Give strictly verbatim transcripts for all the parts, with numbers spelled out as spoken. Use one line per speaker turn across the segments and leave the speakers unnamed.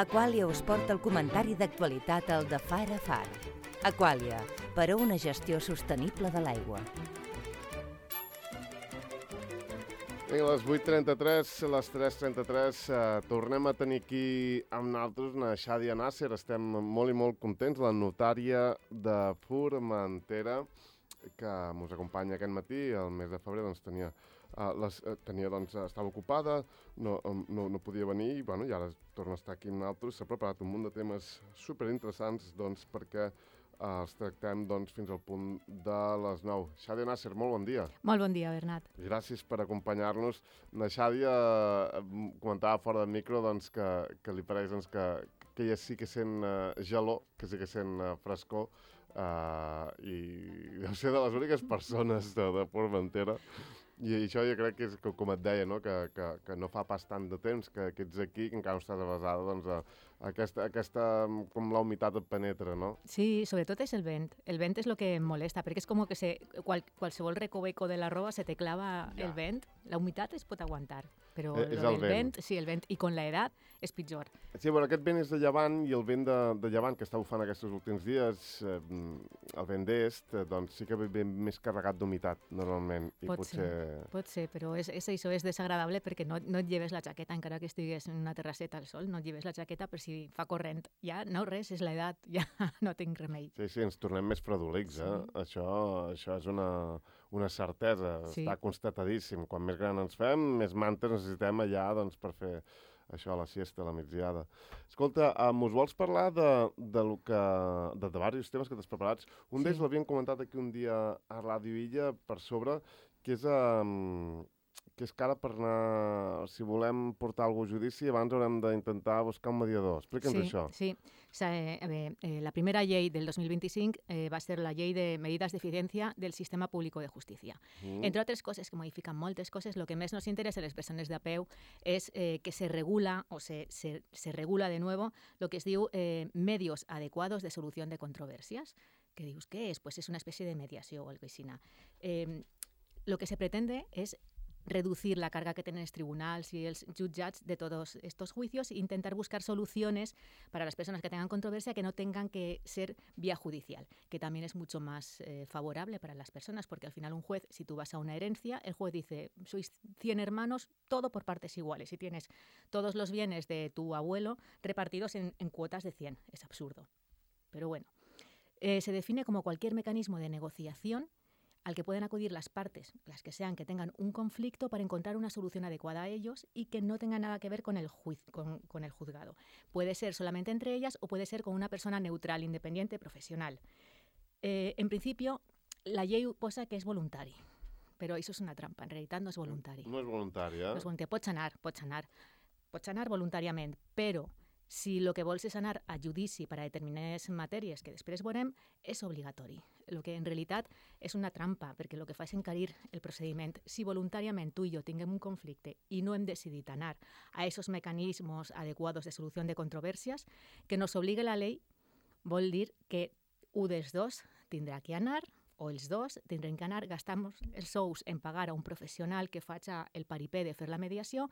Aqualia us porta el comentari d'actualitat al de Far a Far. Aqualia, per a una gestió sostenible de l'aigua.
Vinga, a les vuit trenta-tres, a les tres trenta-tres, eh, tornem a tenir aquí amb nosaltres una Xàdia Nasser. Estem molt i molt contents, la notària de Formentera, que ens acompanya aquest matí. El mes de febrer doncs, tenia, uh, les, uh, tenia, doncs, estava ocupada, no, no, no podia venir i, bueno, i ara torna a estar aquí amb nosaltres. S'ha preparat un munt de temes superinteressants doncs, perquè Uh, els tractem doncs, fins al punt de les nou. Xàdia Nasser, molt bon dia.
Molt bon dia, Bernat.
Gràcies per acompanyar-nos. La Xàdia uh, comentava fora del micro doncs, que, que li pareix doncs, que, que ella sí que sent uh, gelor, que sí que sent uh, frescor, uh, i deu ser de les úniques persones de, de Formentera. I això jo crec que és, com et deia, no? que, que, que no fa pas tant de temps que, que ets aquí, que encara no estàs avasada, doncs, a, a aquesta, aquesta, com la humitat et penetra, no?
Sí, sobretot és el vent. El vent és el que em molesta, perquè és com que se, qual, qualsevol recoveco de la roba se te clava ja. El vent. La humitat es pot aguantar, però
eh, és el
el vent. vent, sí, el vent, i con l'edat és pitjor.
Sí, bueno, aquest vent és de llevant, i el vent de, de llevant que està bufant aquests últims dies, eh, el vent d'est, eh, doncs sí que ve més carregat d'humitat, normalment. I
pot
potser...
ser, pot ser, però és, és això, és desagradable perquè no, no et lleves la jaqueta, encara que estigues en una terrasseta al sol, no et lleves la jaqueta per si fa corrent. Ja no res, és l'edat, ja no tinc remei.
Sí, sí, ens tornem més fredolics, eh? Sí. Això, això és una, una certesa, sí. Està constatadíssim. Quan més gran ens fem, més mantes necessitem allà doncs, per fer això, la siesta, la migdiada. Escolta, um, us vols parlar de, de, lo que, de, de diversos temes que t'has preparats? Un sí. d'ells l'havíem comentat aquí un dia a Ràdio Illa per sobre, que és, um, que és que ara per anar, si volem portar algú a judici, abans haurem d'intentar buscar un mediador. Explica'ns
sí,
això.
Sí, o sea, eh, eh, la primera llei del dos mil vint-i-cinc eh, va ser la llei de medidas de eficiencia del sistema público de justícia. Mm. Entre altres coses, que modifiquen moltes coses, el que més nos interessa a les persones de a peu és eh, que se regula, o se, se, se regula de nuevo, lo que es diu eh, medios adecuados de solución de controversias. Que dius, què és? Pues és una especie de mediació o algo així. Eh, lo que se pretende es reducir la carga que tienen los tribunales y los juzgats de todos estos juicios e intentar buscar soluciones para las personas que tengan controversia que no tengan que ser vía judicial, que también es mucho más eh, favorable para las personas, porque al final un juez, si tú vas a una herencia, el juez dice, sois cien hermanos, todo por partes iguales, y tienes todos los bienes de tu abuelo repartidos en, en cuotas de cien. Es absurdo. Pero bueno, eh, se define como cualquier mecanismo de negociación al que pueden acudir las partes, las que sean, que tengan un conflicto para encontrar una solución adecuada a ellos y que no tenga nada que ver con el, juiz, con, con el juzgado. Puede ser solamente entre ellas o puede ser con una persona neutral, independiente, profesional. Eh, en principio, la llei posa que és voluntari, però això és una trampa, en realitat no és voluntari.
No és voluntari, eh?
No és voluntari. Pots anar, pots anar, pots anar voluntàriament, però si el que vols és anar a judici per a determinades matèries que després veurem, és obligatori. El que en realitat és una trampa, perquè el que fa és encarir el procediment. Si voluntàriament tu i jo tinguem un conflicte i no hem decidit anar a aquests mecanismes adequados de solució de controvèrsies, que nos obligue la llei vol dir que un dels dos tindrà que anar, o els dos tindrem que anar, gastar els sous en pagar a un professional que faci el paripé de fer la mediació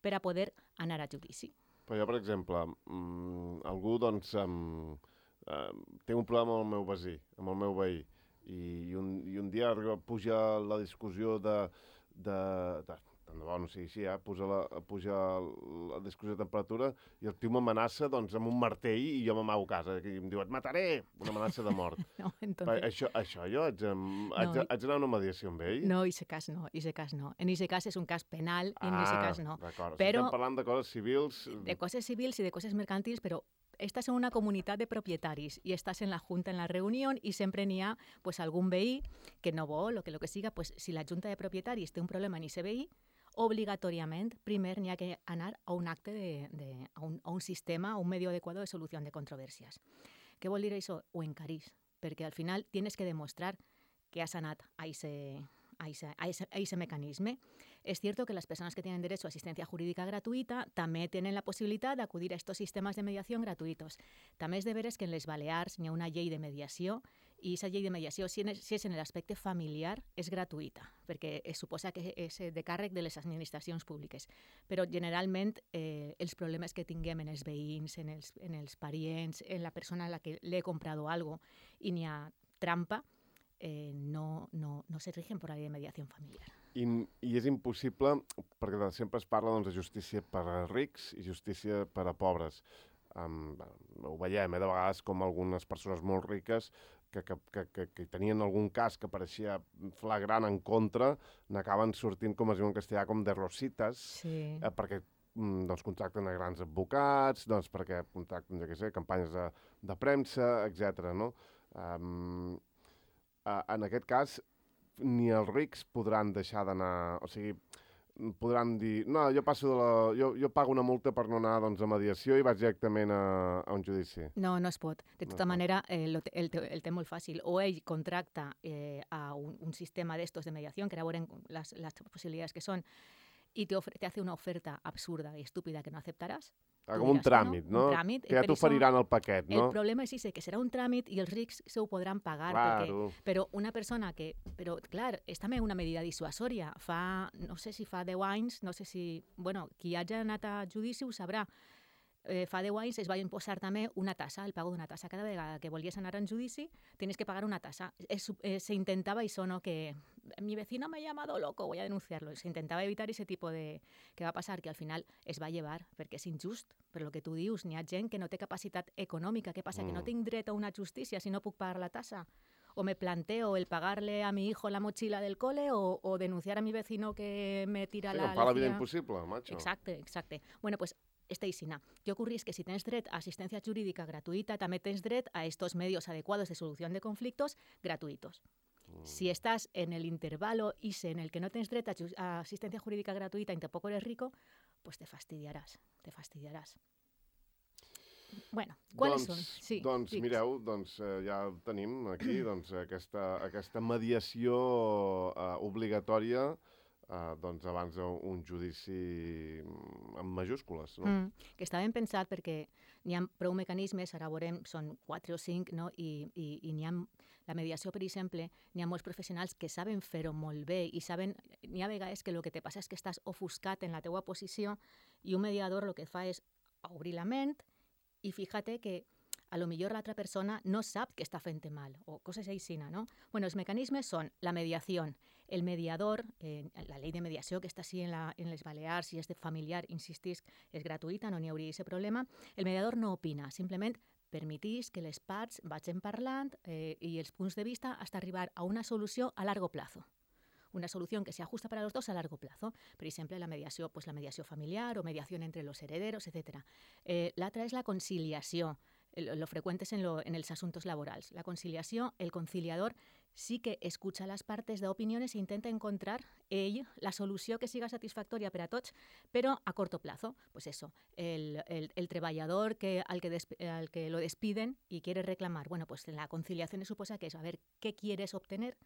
per a poder anar a judici.
Però jo, per exemple, mmm, algú doncs, um, uh, té un problema amb el meu veí, amb el meu veí, i, i, un, i un dia puja la discussió de... de, de tant de bo no sigui així, eh? puja, la, puja la discussió de temperatura i el tio m'amenaça doncs, amb un martell i jo m'amago a casa, i em diu, et mataré, una amenaça de mort.
No, entonces...
això, això jo haig, haig, no, haig d'anar a una mediació amb ell?
No, en aquest cas no, en aquest cas no. En aquest cas és un cas penal, i en aquest cas no.
D'acord, però... estem parlant de coses civils...
De coses civils i de coses mercantils, però estàs en una comunitat de propietaris i estàs en la junta, en la reunió, i sempre n'hi ha pues, algun veí que no vol o que el que siga, pues, si la junta de propietaris té un problema en aquest veí, obligatoriament, primer n'hi ha que anar a un acte, de, de, a, un, a un sistema, a un medio adecuado de solució de controvèrsies. Què vol dir això? Ho encarís, perquè al final tienes que demostrar que has anat a ese, a ese, a ese, a ese mecanisme. Es cierto que las personas que tienen derecho a asistencia jurídica gratuita també tenen la possibilitat d'acudir a estos sistemes de mediació gratuïtos. També és de veres que en les Balears n'hi ha una llei de mediació i aquesta llei de mediació, si, en, si és en l'aspecte familiar, és gratuïta, perquè es suposa que és de càrrec de les administracions públiques. Però generalment eh, els problemes que tinguem en els veïns, en els, en els parients, en la persona a la que le he comprado algo i n'hi ha trampa, eh, no, no, no se rigen per la llei de mediació familiar.
I, I és impossible, perquè sempre es parla doncs, de justícia per a rics i justícia per a pobres. Um, ho veiem, eh, de vegades com algunes persones molt riques que, que, que, que, que tenien algun cas que pareixia flagrant en contra, n'acaben sortint, com es diu en castellà, com de rositas,
sí.
eh, perquè doncs, contracten a grans advocats, doncs, perquè contracten, jo què sé, campanyes de, de premsa, etcètera. No? Um, uh, en aquest cas, ni els rics podran deixar d'anar... O sigui, podran dir, no, jo passo de la... Jo, jo pago una multa per no anar doncs, a mediació i vaig directament a, a un judici.
No, no es pot. De tota no manera, eh, el, el, el té molt fàcil. O ell contracta eh, a un, un sistema d'estos de mediació, que ara veurem les, les possibilitats que són, i te, ofre, te hace una oferta absurda i estúpida que no aceptaràs.
Ah, com un tràmit, no?
Un tràmit,
que ja t'oferiran el paquet, no?
El problema és ese, que serà un tràmit i els rics se ho podran pagar.
Claro.
Perquè, però una persona que... Però, clar, és també una medida dissuasòria. Fa, no sé si fa deu anys, no sé si... Bueno, qui hagi anat a judici ho sabrà. Eh, fa deu anys es va imposar també una tassa, el pago d'una tassa. Cada vegada que volies anar en judici tienes que pagar una tassa. Es, eh, se intentaba eso, ¿no? Que mi vecino me ha llamado loco, voy a denunciarlo. Se intentava evitar ese tipo de... Què va passar? Que al final es va llevar, perquè és injust. Per lo que tu dius, n'hi ha gent que no té capacitat econòmica. Què passa? Mm. Que no tinc dret a una justícia si no puc pagar la tassa. O me planteo el pagarle a mi hijo la mochila del cole o, o denunciar a mi vecino que me tira
sí,
la...
Sí, fa la vida impossible, macho.
Exacte, exacte. Bueno, pues esta isina. Què ocorre que si tens dret a assistència jurídica gratuïta, també tens dret a estos medios adecuados de solución de conflictos gratuitos. Mm. Si estás en el intervalo ese en el que no tens dret a, a asistencia jurídica gratuïta y tampoco eres rico, pues te fastidiaràs, te fastidiaràs. Bueno, ¿cuáles
doncs,
són? Sí,
doncs
digues.
mireu, doncs, eh, ja tenim aquí doncs, aquesta, aquesta mediació eh, obligatòria Uh, doncs abans d'un judici amb majúscules, no?
Mm, que està ben pensat perquè n'hi ha prou mecanismes, ara veurem, són quatre o cinc, no? I, i, i n'hi ha, la mediació, per exemple, n'hi ha molts professionals que saben fer-ho molt bé i saben, n'hi ha vegades que el que te passa és que estàs ofuscat en la teua posició i un mediador el que fa és obrir la ment i fíjate que a lo millor l'altra persona no sap que està fent mal, o coses així, no? Bueno, els mecanismes són la mediació. El mediador, eh, la llei de mediació que està així en, la, en les Balears, si és de familiar, insistís, és gratuïta, no n'hi hauria aquest problema. El mediador no opina, simplement permetís que les parts vagin parlant eh, i els punts de vista hasta arribar a una solució a largo plazo. Una solución que se ajusta para los dos a largo plazo. Por ejemplo, la mediació, pues la mediació familiar o mediación entre los herederos, etcétera. Eh, L'altra és la conciliació. Lo frecuente es en, lo, en els asuntos laborals. La conciliació, el conciliador sí que escucha las partes de opiniones e intenta encontrar ell la solució que siga satisfactòria per a tots, però a corto plazo. Pues eso, el, el, el treballador que, al, que desp, al que lo despiden y quiere reclamar, bueno, pues la conciliación se suposa que es a ver qué quieres obtener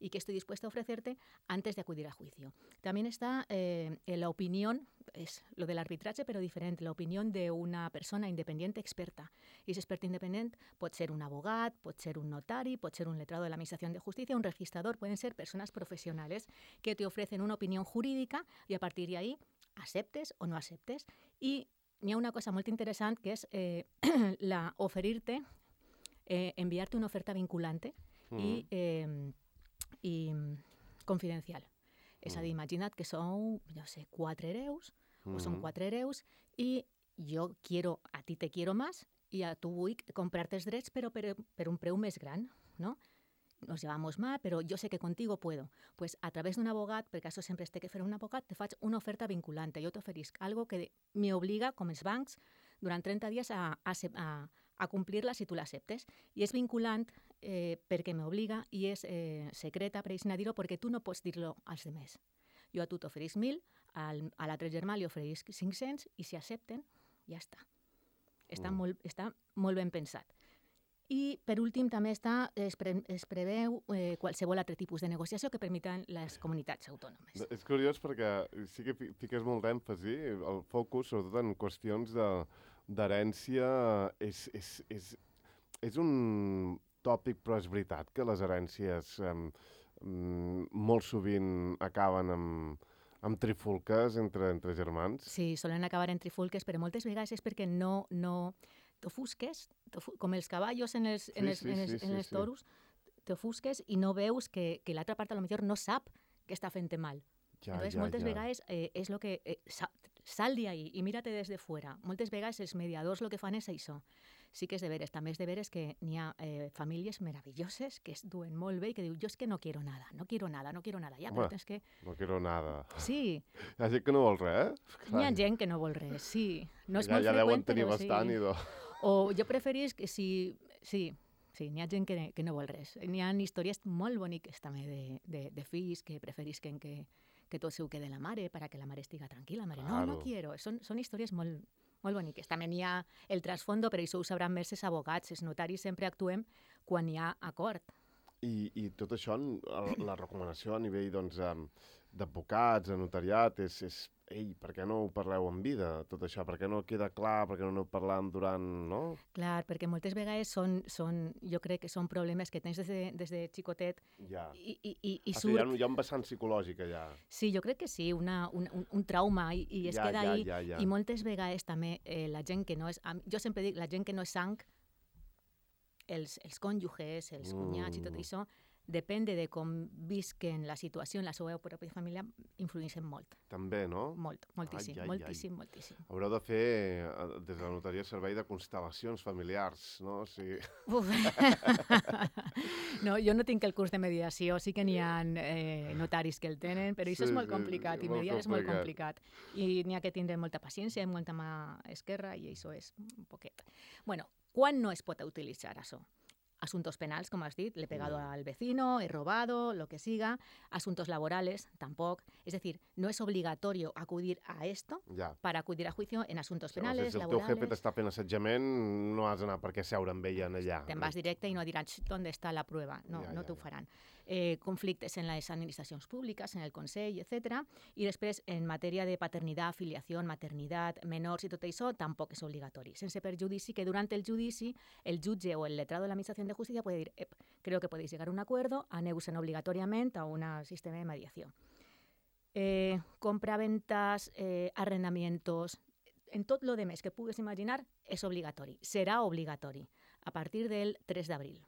y qué estoy dispuesto a ofrecerte antes de acudir a juicio. También está eh, la opinión, es lo del arbitraje, pero diferente, la opinión de una persona independiente experta. I aquest expert independent pot ser un abogat, pot ser un notari, pot ser un letrado de la Administración de Justicia, un registrador, pueden ser personas profesionales que te ofrecen una opinión jurídica y a partir de ahí aceptes o no aceptes. I n'hi ha una cosa molt interessant que és eh, la oferir-te, eh, enviar-te una oferta vinculante mm. i... Eh, i confidencial. Mm. És a dir, imagina't que sou, no sé, quatre hereus, mm. o són quatre hereus, i jo quiero, a ti te quiero más, i a tu vull comprar-te els drets, però per, per un preu més gran, no? Nos llevamos mal, pero yo sé que contigo puedo. Pues a través de un abogat, perquè això sempre es té que fer un abogat, te faig una oferta vinculante. Jo t'oferisc algo que me obliga, com els bancs, durant trenta dies a, a, a, a complir-la si tu l'acceptes. I és vinculant eh, perquè m'obliga i és eh, secreta, per així dir-ho, perquè tu no pots dir-lo als demés. Jo a tu t'oferisc mil, al, a l'altre germà li oferisc cinc-cents i si accepten, ja està. Està, mm. molt, està molt ben pensat. I, per últim, també està, es, pre, es preveu eh, qualsevol altre tipus de negociació que permeten les comunitats autònomes.
És curiós perquè sí que fiques molt d'èmfasi, el focus, sobretot en qüestions d'herència, és, és, és, és un... tòpic, però és veritat que les herències eh, molt sovint acaben amb, amb trifulques entre, entre germans.
Sí, solen acabar en trifulques, però moltes vegades és perquè no... no t'ofusques, com els cavallos en els, en els,
Sí, sí,
en els,
sí,
en
sí,
els
sí.
toros, t'ofusques i no veus que, que l'altra part a lo millor no sap que està fent mal.
Ja,
Entonces,
ja,
moltes
ja.
vegades eh, és el que... Eh, sa, sal de ahí i mírate des de fuera. Moltes vegades els mediadors el que fan és això. Sí que és de veres, també és de veres que n'hi ha eh, famílies meravelloses que es duen molt bé i que diu, jo és que no quiero nada, no quiero nada, no quiero nada. Ja,
Home,
però tens que...
No quiero nada.
Sí,
Hi ha gent que no vol res, eh?
n'hi ha gent que no vol res, sí. No és
ja,
molt
ja deuen
freqüent,
tenir
però
bastant,
sí.
idò.
O jo preferís que si... Sí, sí, n'hi ha gent que, que no vol res. N'hi ha històries molt boniques també de, de, de fills que preferisquen que, que tot seu quede la mare para que la mare estiga tranquil·la. La mare, no,
Claro.
no quiero. Són, són històries molt, molt boniques. També n'hi ha el trasfondo, però això ho sabran més els abogats. Els notaris sempre actuem quan hi ha acord.
I, I tot això, el- la recomanació a nivell doncs, em, d'advocats, de notariat, és, és ei, per què no ho parleu en vida, tot això? Per què no queda clar, per què no ho parlem durant, no?
Clar, perquè moltes vegades són, són, jo crec que són problemes que tens des de, des de xicotet
Ja.
i, i, i, i
Ah, sí, hi,
surt...
ha, un- hi ha un vessant psicològic allà.
Sí, jo crec que sí, una, un, un, un trauma i, i es
Ja,
queda
ja,
ahí.
ja, ja.
I moltes vegades també eh, la gent que no és... am- Jo sempre dic, la gent que no és sang, els, els cònjuges, els cunyats i tot
Mm.
això, depèn de com visquen la situació en la seva pròpia família, influïxen molt,
També, no?
molt, moltíssim,
ai, ai.
moltíssim, moltíssim.
Haureu de fer, eh, des de la notaria, servei de constel·lacions familiars, no? O sigui,
Uf. No, jo no tinc el curs de mediació, sí que n'hi ha eh, notaris que el tenen, però això
Sí,
és molt
sí,
complicat, i
molt
mediar és molt
complicat.
complicat. I n'hi ha que tindre molta paciència, molta mà esquerra, i això és un poquet. Bueno, quan no es pot utilitzar això? Asuntos penals, como has dit, le he pegado
Mm.
al vecino, he robado, lo que siga. Asuntos laborales, tampoco. Es decir, no es obligatorio acudir a esto
ja.
para acudir a juicio en asuntos
O sigui,
penales,
si el teu jefe
laborales.
t'està fent assetjament, no has d'anar per què seure amb ella en allà.
Te'n vas directe i no diran, "Xt, ¿dónde está la prueba?" No,
Ja,
no
ja,
t'ho
ja.
faran. Eh, conflictes en les administracions públiques, en el Consell, etcètera. I després, en matèria de paternitat, filiació, maternitat, menors i tot això, tampoc és obligatori. Sense perjudici que durant el judici el jutge o el letrado de la Administración de Justicia puede dir, "Ep, creo que podéis llegar a un acuerdo, aneu-se'n obligatoriament a un sistema de mediació." Eh, compraventas, eh, arrendamientos, en tot lo demés que pugues imaginar, és obligatori. Serà obligatori a partir del tres d'abril.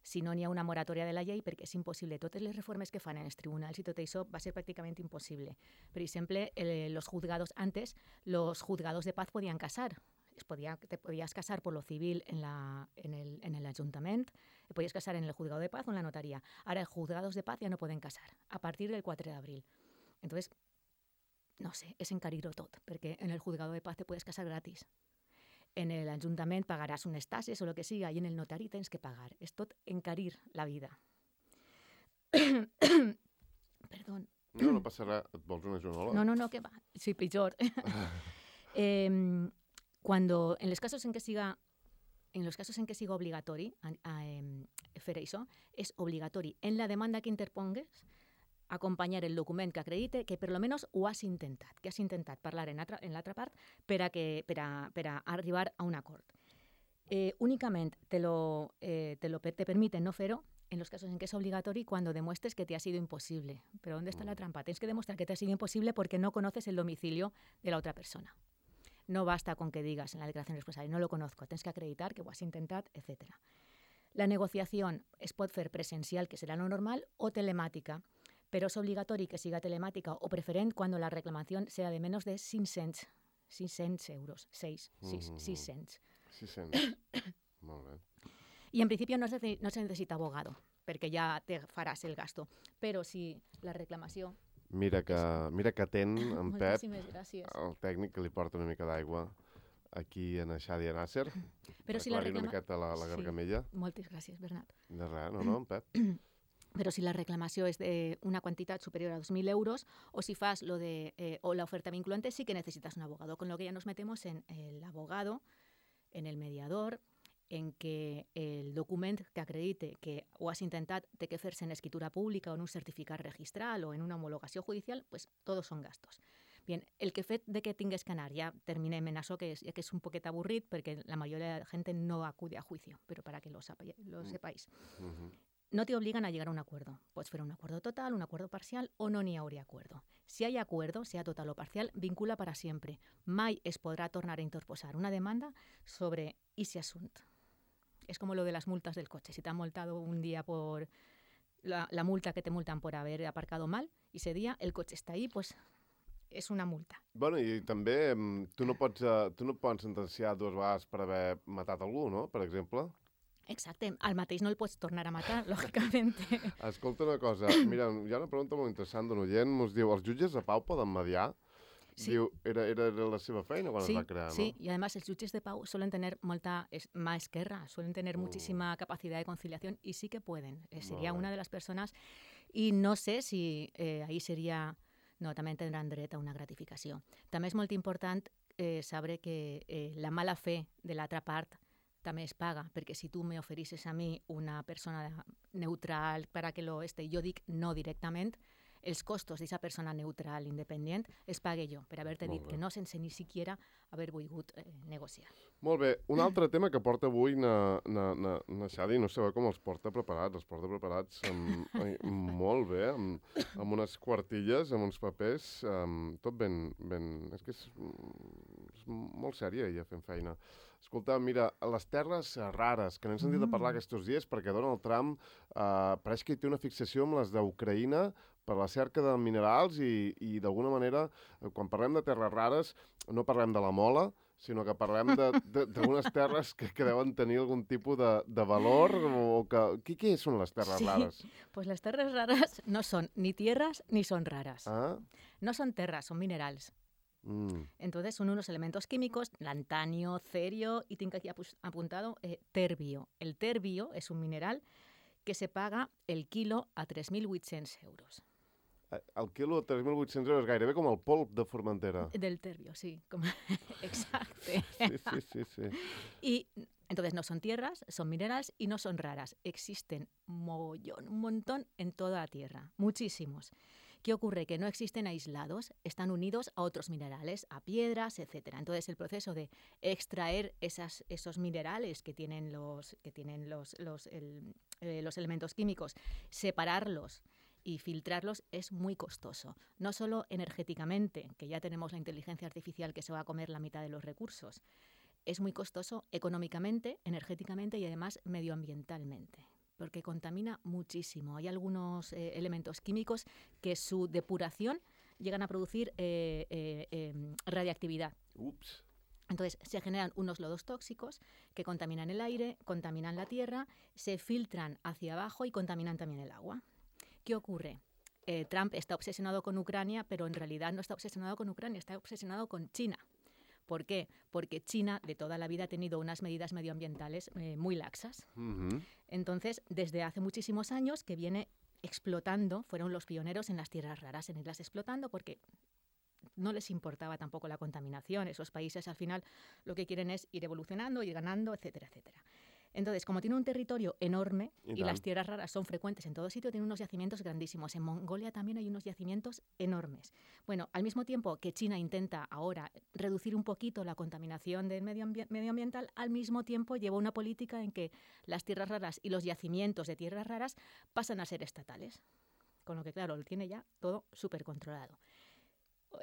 Si no n'hi ha una moratòria de la llei, perquè és impossible. Totes les reformes que fan en els tribunals i tot això va ser pràcticament impossible. Per exemple, eh, los juzgados antes, los juzgados de paz podían casar. Es podía, te podías casar por lo civil en, la, en, el, en el ayuntamiento, te podías casar en el juzgado de paz o en la notaría. Ahora, los juzgados de paz ya no pueden casar, a partir del quatre d'abril. Entonces, no sé, és encarir-ho tot, perquè en el juzgado de paz te puedes casar gratis. En el ajuntament pagaràs unes tasses o el que siga, i en el notari tens que pagar. És tot encarir la vida. Perdó.
No, no passa res. Et vols una joanola?
No, no, no, que va. Sí, pitjor. eh, cuando, en los casos en que siga en los casos en que siga obligatori a, a, eh, fer això, és obligatori en la demanda que interpongues acompanyar el document que acredite que per lo menos ho has intentat, que has intentat parlar en l'altra en l'altra part per a, que, per, a, per a arribar a un acord. Eh, únicament te, lo, eh, te, lo, te permiten no fer-ho en los casos en que es obligatorio cuando demuestres que te ha sido imposible. Pero ¿dónde está la trampa? Tienes que demostrar que te ha sido imposible porque no conoces el domicilio de la otra persona. No basta con que digas en la declaración responsable, no lo conozco, tienes que acreditar que ho has intentat, etcétera. La negociación es pot fer presencial, que será lo normal, o telemática, pero es obligatorio que siga telemática o preferent cuando la reclamación sea de menos de cinc-cents euros, seis, sis, sis-cents.
sis-cents. Molt bé.
Y en principio no se, no se necesita abogado, perquè ja te faràs el gasto. Però si la reclamació...
Mira que, mira que atén en Pep,
Moltíssimes gràcies.
el tècnic, que li porta una mica d'aigua aquí a Xadia Nasser.
Però si la
Aclarir una
reclama...
miqueta la, la gargamella.
Sí, moltes gràcies, Bernat.
De res, no, no, en Pep.
Però si la reclamació és d'una quantitat superior a dos mil euros o si fas lo de, eh, o la oferta vinculante, sí que necesitas un abogado. Con lo que ya nos metemos en el abogado, en el mediador, en que el document que acredite que ho has intentat té que fer-se en escritura pública o en un certificat registral o en una homologació judicial, pues todos son gastos. Bien, el que fet de que tingues que anar, ya terminem en això, que és, que és un poquet avorrit, perquè la mayoría de la gente no acude a juicio, pero para que lo, sapa- lo sepáis.
Mhm.
No te obligan a llegar a un acuerdo. Puedes hacer un acuerdo total, un acuerdo parcial o no n'hi hauria acuerdo. Si hay acuerdo, sea total o parcial, vincula para siempre. Mai es podrá tornar a interposar una demanda sobre ese asunto. Es como lo de las multas del coche. Si te han multado un día por la, la multa que te multan por haber aparcado mal, y ese día el coche está ahí, pues és una multa.
Bueno, i també mm, tu no pots, uh, tu no pots sentenciar dues vegades per haver matat algú, no?, per exemple.
Exacte. Al mateix no el pots tornar a matar, lògicament.
Escolta una cosa, mira, hi ha una pregunta molt interessant d'un oient, ens diu, els jutges de pau poden mediar?
Sí.
Diu, era, era, era la seva feina quan
Sí,
es va crear,
sí,
no?
y además los jueces de pau suelen tener molta es- más guerra, suelen tener
Oh.
muchísima capacidad de conciliación y sí que pueden. Eh, sería
Molt bé.
una de las personas y no sé si eh, ahí sería... No, també tindran dret a una gratificació. També és molt important eh, saber que eh, la mala fe de l'altra part també es paga, perquè si tu me oferisses a mi una persona neutral para que lo este, jo dic no directament, els costos d'aquesta persona neutral, independent, es pague jo, per haver-te
Molt
dit
bé.
que no sense ni siquiera haver volgut eh, negociar.
Molt bé, un altre tema que porta avui na, na, na, na Xadi, no sabeu com els porta preparats, els porta preparats amb, ai, molt bé, amb, amb unes quartilles, amb uns papers, amb, tot ben, ben... És que és, és molt sèria ella fent feina. Escolta, mira, les terres rares, que n'hem sentit a parlar aquests dies, perquè Donald Trump eh, pareix que hi té una fixació amb les d'Ucraïna per la cerca de minerals i, i d'alguna manera, eh, quan parlem de terres rares, no parlem de la mola, sinó que parlem d'unes terres que, que deuen tenir algun tipus de, de valor o que... Què, què són les terres
Sí.
rares?
Pues las tierras raras no son ni tierras ni son raras.
Ah?
No son tierras, son minerals.
Mm.
Entonces son unos elementos químicos, lantanio, cerio y tengo aquí apu- apuntado eh, terbio. El terbio es un mineral que se paga el kilo a tres mil vuit-cents euros.
El quilo de tres mil vuit-cents euros, gairebé com el polp de Formentera.
Del terbio, sí. Como... Exacto.
Sí, sí, sí, sí.
Y entonces no son tierras, son minerales y no son raras. Existen mogollón, un montón en toda la Tierra, muchísimos. ¿Qué ocurre? Que no existen aislados, están unidos a otros minerales, a piedras, etcétera. Entonces el proceso de extraer esas, esos minerales que tienen los, que tienen los, los, el, eh, los elementos químicos, separarlos y filtrarlos es muy costoso. No solo energéticamente, que ya tenemos la inteligencia artificial que se va a comer la mitad de los recursos, es muy costoso económicamente, energéticamente y además medioambientalmente, porque contamina muchísimo. Hay algunos eh, elementos químicos que su depuración llegan a producir eh, eh, eh, radiactividad.
Ups.
Entonces se generan unos lodos tóxicos que contaminan el aire, contaminan la tierra, se filtran hacia abajo y contaminan también el agua. ¿Qué ocurre? Eh, Trump está obsesionado con Ucrania, pero en realidad no está obsesionado con Ucrania, está obsesionado con China. ¿Por qué? Porque China de toda la vida ha tenido unas medidas medioambientales eh, muy laxas.
Mm-hmm.
Entonces, desde hace muchísimos años que viene explotando, fueron los pioneros en las tierras raras, en irlas explotando porque no les importaba tampoco la contaminación. Esos países al final lo que quieren es ir evolucionando, ir ganando, etcétera, etcétera. Entonces, como tiene un territorio enorme
Y
y,
tal.
las tierras raras son frecuentes en todo sitio, tiene unos yacimientos grandísimos. En Mongolia también hay unos yacimientos enormes. Bueno, al mismo tiempo que China intenta ahora reducir un poquito la contaminación del medio ambi- medioambiental, al mismo tiempo lleva una política en que las tierras raras y los yacimientos de tierras raras pasan a ser estatales. Con lo que, claro, lo tiene ya todo súper controlado.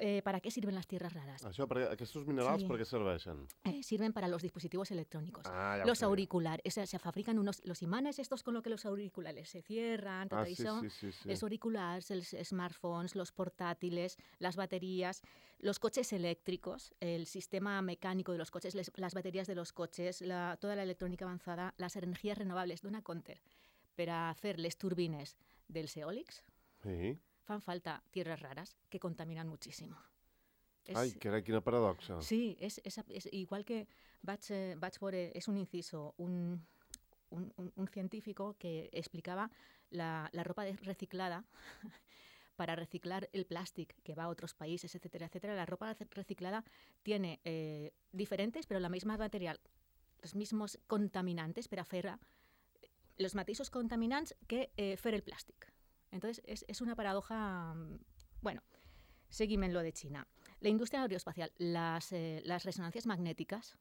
Eh, ¿Para qué sirven las tierras raras?
Això, per, aquests minerals,
Sí.
per què serveixen?
Eh, sirven para los dispositivos electrónicos.
Ah, ja ho
Los
sabia.
auriculares, o sea, se fabrican unos, los imanes estos con lo que los auriculares se cierran, tot
Ah, sí,
això.
sí, sí, sí.
Els auriculares, els smartphones, los portátiles, las baterías, los coches eléctricos, el sistema mecánico de los coches, les- las baterías de los coches, la- toda la electrónica avanzada, las energías renovables. Dona compte, per a fer les turbines dels eòlics
Sí.
fan falta tierras raras que contaminan muchísimo. És-
Ai, carai, quina paradoxa.
Sí, és, és, és igual que vaig, eh, vaig veure, és un inciso, un, un, un, un científico que explicaba la, la ropa de- reciclada para reciclar el plástico que va a otros países, etcétera, etcétera. La ropa rec- reciclada tiene eh, diferentes, pero la misma material, los mismos contaminantes per a fer los mateixos contaminants que eh, fer el plàstic. Entonces, es, es una paradoja, mm, bueno, Seguim en lo de China. La indústria aeroespacial, les, eh, les resonàncies magnètiques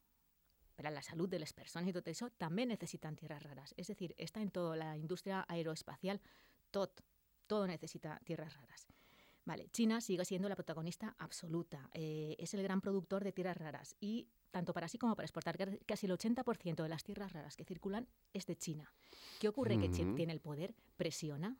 para la salud de las personas y todo eso, también necesitan tierras raras. Es decir, está en toda la industria aeroespacial, todo, todo necesita tierras raras. Vale, China sigue siendo la protagonista absoluta, eh, es el gran productor de tierras raras y tanto para sí como para exportar, casi el ochenta por ciento de las tierras raras que circulan es de China. ¿Qué ocurre?
Mm-hmm.
Que China tiene el poder, presiona.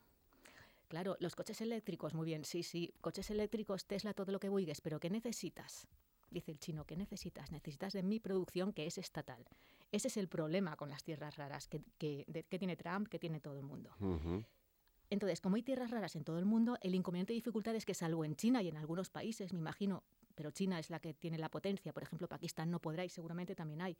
Claro, los coches eléctricos, muy bien, sí, sí, coches eléctricos, Tesla, todo lo que buigues, pero ¿qué necesitas? Dice el chino, ¿qué necesitas? Necesitas de mi producción que es estatal. Ese es el problema con las tierras raras que, que, de, que tiene Trump, que tiene todo el mundo.
Uh-huh.
Entonces, como hay tierras raras en todo el mundo, el inconveniente y dificultad es que salvo en China y en algunos países, me imagino, pero China es la que tiene la potencia, por ejemplo, Pakistán no podrá y seguramente también hay.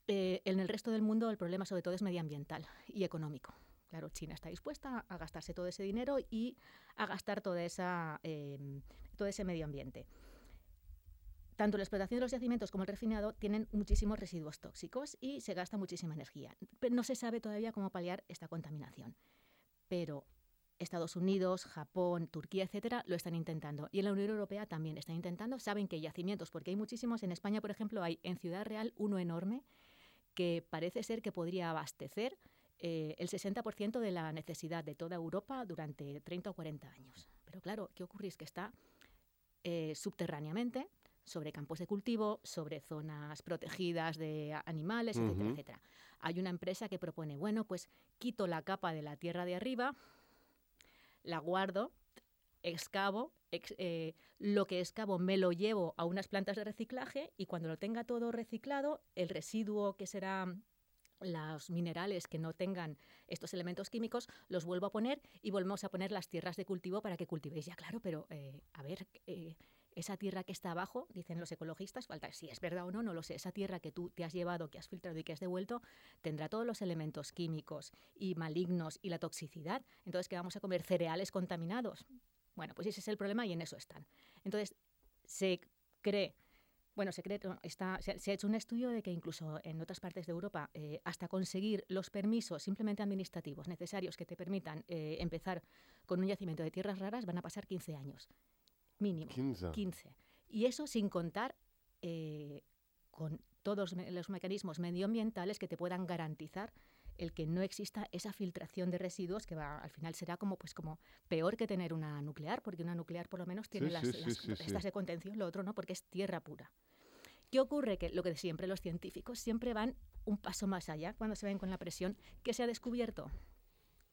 Eh, en el resto del mundo el problema sobre todo es medioambiental y económico. Claro, China está dispuesta a gastarse todo ese dinero y a gastar toda esa, eh, todo ese medio ambiente. Tanto la explotación de los yacimientos como el refinado tienen muchísimos residuos tóxicos y se gasta muchísima energía. Pero no se sabe todavía cómo paliar esta contaminación. Pero Estados Unidos, Japón, Turquía, etcétera, lo están intentando. Y en la Unión Europea también están intentando. Saben que hay yacimientos, porque hay muchísimos. En España, por ejemplo, hay en Ciudad Real uno enorme que parece ser que podría abastecer eh, el sesenta por ciento de la necesidad de toda Europa durante treinta o cuarenta años. Pero claro, ¿qué ocurre? Es que está eh, subterráneamente, sobre campos de cultivo, sobre zonas protegidas de animales,
Uh-huh.
etcétera, etcétera. Hay una empresa que propone, bueno, pues quito la capa de la tierra de arriba, la guardo, excavo, ex, eh, lo que excavo me lo llevo a unas plantas de reciclaje y cuando lo tenga todo reciclado, el residuo que será los minerales que no tengan estos elementos químicos, los vuelvo a poner y volvemos a poner las tierras de cultivo para que cultivéis. Ya, claro, pero eh, a ver... Eh, esa tierra que está abajo, dicen los ecologistas, falta si es verdad o no, no lo sé, esa tierra que tú te has llevado, que has filtrado y que has devuelto, tendrá todos los elementos químicos y malignos y la toxicidad. Entonces, ¿qué vamos a comer? ¿Cereales contaminados? Bueno, pues ese es el problema y en eso están. Entonces, se cree, bueno, se cree, está, se, se ha hecho un estudio de que incluso en otras partes de Europa, eh, hasta conseguir los permisos simplemente administrativos necesarios que te permitan eh, empezar con un yacimiento de tierras raras, van a pasar quince años. Mínimo,
quince.
quince. Y eso sin contar eh, con todos los mecanismos medioambientales que te puedan garantizar el que no exista esa filtración de residuos que va, al final será como, pues, como peor que tener una nuclear, porque una nuclear por lo menos tiene
Sí,
las,
sí, sí,
las
sí, sí.
estas de contención, lo otro no, porque es tierra pura. ¿Qué ocurre? Que lo que siempre los científicos siempre van un paso más allá cuando se ven con la presión que se ha descubierto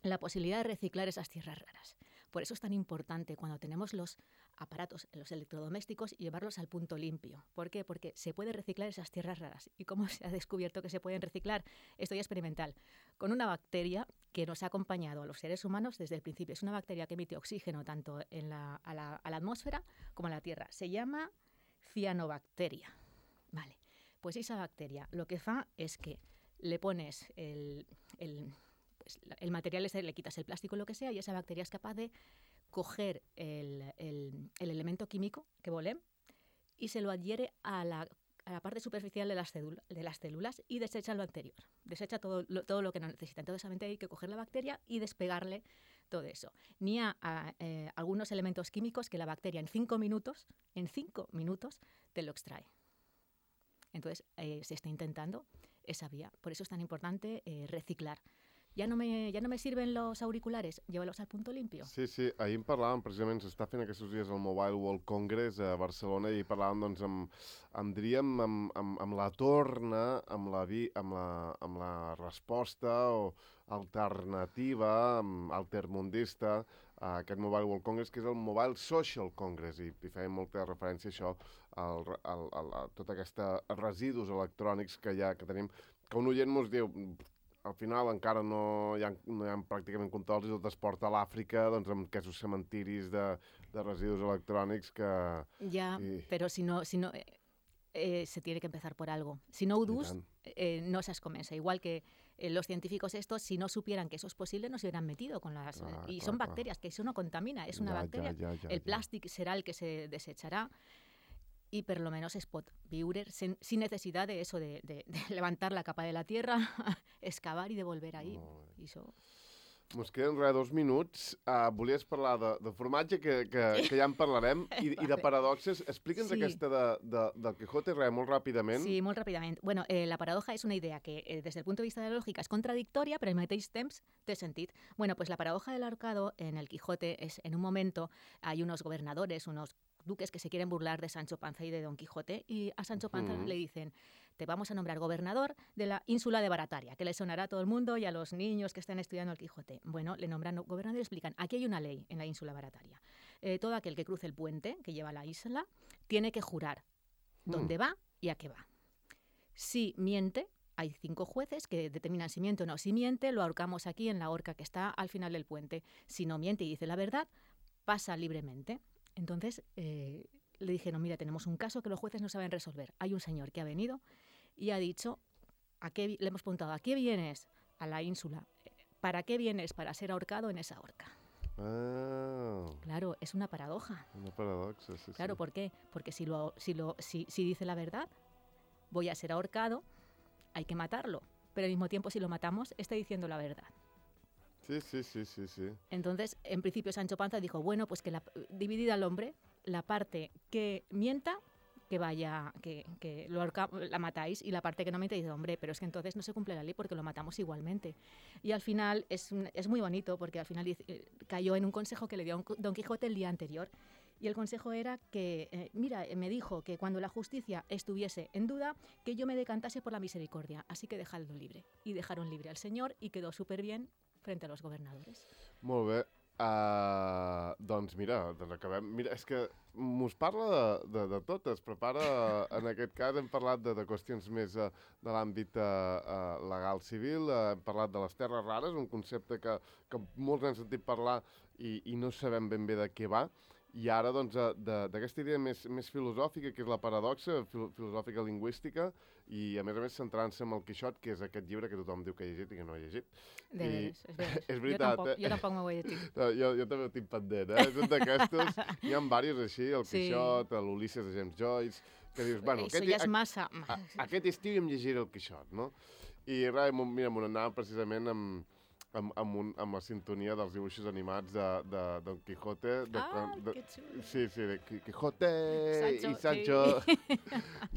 la posibilidad de reciclar esas tierras raras. Por eso es tan importante cuando tenemos los aparatos, los electrodomésticos, llevarlos al punto limpio. ¿Por qué? Porque se puede reciclar esas tierras raras. ¿Y cómo se ha descubierto que se pueden reciclar? Esto ya es experimental. Con una bacteria que nos ha acompañado a los seres humanos desde el principio. Es una bacteria que emite oxígeno tanto en la, a, la, a la atmósfera como a la tierra. Se llama cianobacteria. Vale. Pues esa bacteria lo que fa es que le pones el... el el material ese, le quitas el plástico o lo que sea y esa bacteria es capaz de coger el, el, el elemento químico que volem y se lo adhiere a la, a la parte superficial de las, célula, de las células y desecha lo anterior, desecha todo lo, todo lo que no necesita. Entonces solamente hay que coger la bacteria y despegarle todo eso. Ni a, a eh, algunos elementos químicos que la bacteria en cinco minutos, en cinco minutos te lo extrae. Entonces eh, se está intentando esa vía. Por eso es tan importante eh, reciclar. Ja no, me, ja no me sirven los auriculares, llévalos al punto limpio.
Sí, sí, ahir en parlàvem, precisament s'està fent aquests dies el Mobile World Congress a Barcelona i parlàvem, doncs, amb, amb diríem, amb, amb, amb la torna, amb la, vi, amb, la, amb la resposta o alternativa, amb altermundista, a aquest Mobile World Congress, que és el Mobile Social Congress, i, i feien molta referència a això, al, al, al, a tota aquesta residus electrònics que, hi ha, que tenim, que un oient mos diu... Al final encara no hi ha, no hi ha pràcticament controls i tot es porta a l'Àfrica doncs, amb aquests cementiris de, de residus electrònics que...
Ja,
i...
però si no... Si no eh, eh, se tiene que empezar por algo. Si no ho dus, eh, no se comença. Igual que eh, los científicos estos, si no supieran que eso es posible, no se hubieran metido con las...
Clar,
y
clar,
son
clar.
bacterias, que eso no contamina, es una
ja,
bacteria.
Ja, ja, ja,
el
ja.
plàstic será el que se desechará. Y por lo menos es pot viure sin, sin necesidad de eso, de, de, de levantar la capa de la tierra, excavar y devolver ahí. Y eso...
Mos queden res, dos minuts. Uh, volies parlar de, de formatge, que, que, que ja en parlarem, i, i de paradoxes. Explica'ns
Sí.
aquesta de, de, del Quijote, res, molt ràpidament.
Sí, molt ràpidament. Bueno, eh, la paradoja és una idea que, eh, des del punt de vista de la lògica, és contradictòria, però al mateix temps té sentit. Bueno, pues la paradoja del ahorcado en el Quijote es, en un momento, hay unos gobernadores, unos duques que se quieren burlar de Sancho Panza y de Don Quijote, y a Sancho Panza
Ujú.
le dicen, te vamos a nombrar gobernador de la ínsula de Barataria, que le sonará a todo el mundo y a los niños que estén estudiando el Quijote. Bueno, le nombran gobernador y explican, aquí hay una ley en la ínsula Barataria. Eh, todo aquel que cruce el puente que lleva a la isla tiene que jurar dónde va y a qué va. Si miente, hay cinco jueces que determinan si miente o no. Si miente, lo ahorcamos aquí en la horca que está al final del puente. Si no miente y dice la verdad, pasa libremente. Entonces eh, le dijeron, mira, tenemos un caso que los jueces no saben resolver. Hay un señor que ha venido y ha dicho, ¿a qué vi-? Le hemos preguntado, ¿a qué vienes a la ínsula? ¿Para qué vienes? Para ser ahorcado en esa horca.
Ah,
Claro, es una paradoja.
una paradoxa, sí,
Claro,
sí.
¿por qué? Porque si, lo, si, lo, si, si dice la verdad, voy a ser ahorcado, hay que matarlo. Pero al mismo tiempo, si lo matamos, está diciendo la verdad.
Sí, sí, sí, sí, sí.
Entonces, en principio, Sancho Panza dijo, bueno, pues que la, dividida al hombre, la parte que mienta, que vaya, que, que lo ahorca- la matáis, y la parte que no miente dice, hombre, pero es que entonces no se cumple la ley porque lo matamos igualmente. Y al final es, un- es muy bonito porque al final dice- eh, cayó en un consejo que le dio Don Quijote el día anterior. Y el consejo era que, eh, mira, eh, me dijo que cuando la justicia estuviese en duda, que yo me decantase por la misericordia, así que dejadlo libre. Y dejaron libre al señor y quedó súper bien frente a los gobernadores.
Molt bé. Uh, doncs mira, doncs acabem. Mira, és que mos parla de, de, de tot. Es prepara, en aquest cas hem parlat de, de qüestions més uh, de l'àmbit uh, uh, legal civil, uh, hem parlat de les terres rares, un concepte que, que molts han sentit parlar i, i no sabem ben bé de què va. I ara, doncs, uh, de- d'aquesta idea més, més filosòfica, que és la paradoxa, fil filosòfica lingüística, i a més a més centrant-se en el Quixot, que és aquest llibre que tothom diu que ha llegit i que no ha llegit.
De
I-
veres, és veres.
és
Jo
veritat,
tampoc,
eh?
jo tampoc m'ho he llegit.
No, jo, jo també ho tinc pendent, eh? És un d'aquestos. Hi ha diversos així, el
Sí.
Quixot, l'Ulisses de James Joyce, que dius, bueno,
Eso
aquest,
ja és
a,
massa...
a, aquest estiu em llegiré el Quixot, no? I res, m'ho- mira, m'ho anava precisament amb, amb, amb, un, amb la sintonia dels dibuixos animats de, de Don Quijote. De,
Ah,
de,
que xulo.
Sí, sí, de Qui- Quijote
Sancho,
i Sancho.
sí.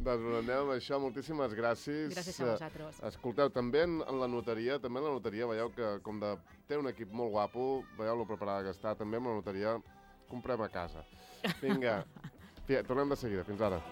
Doncs ho anem amb això, moltíssimes gràcies.
Gràcies a vosaltres.
Escolteu, també en, en la notaria, també en la notaria, veieu que com de, té un equip molt guapo, veieu lo preparada que està, també amb la notaria comprem a casa. Vinga, fi- tornem de seguida, fins ara.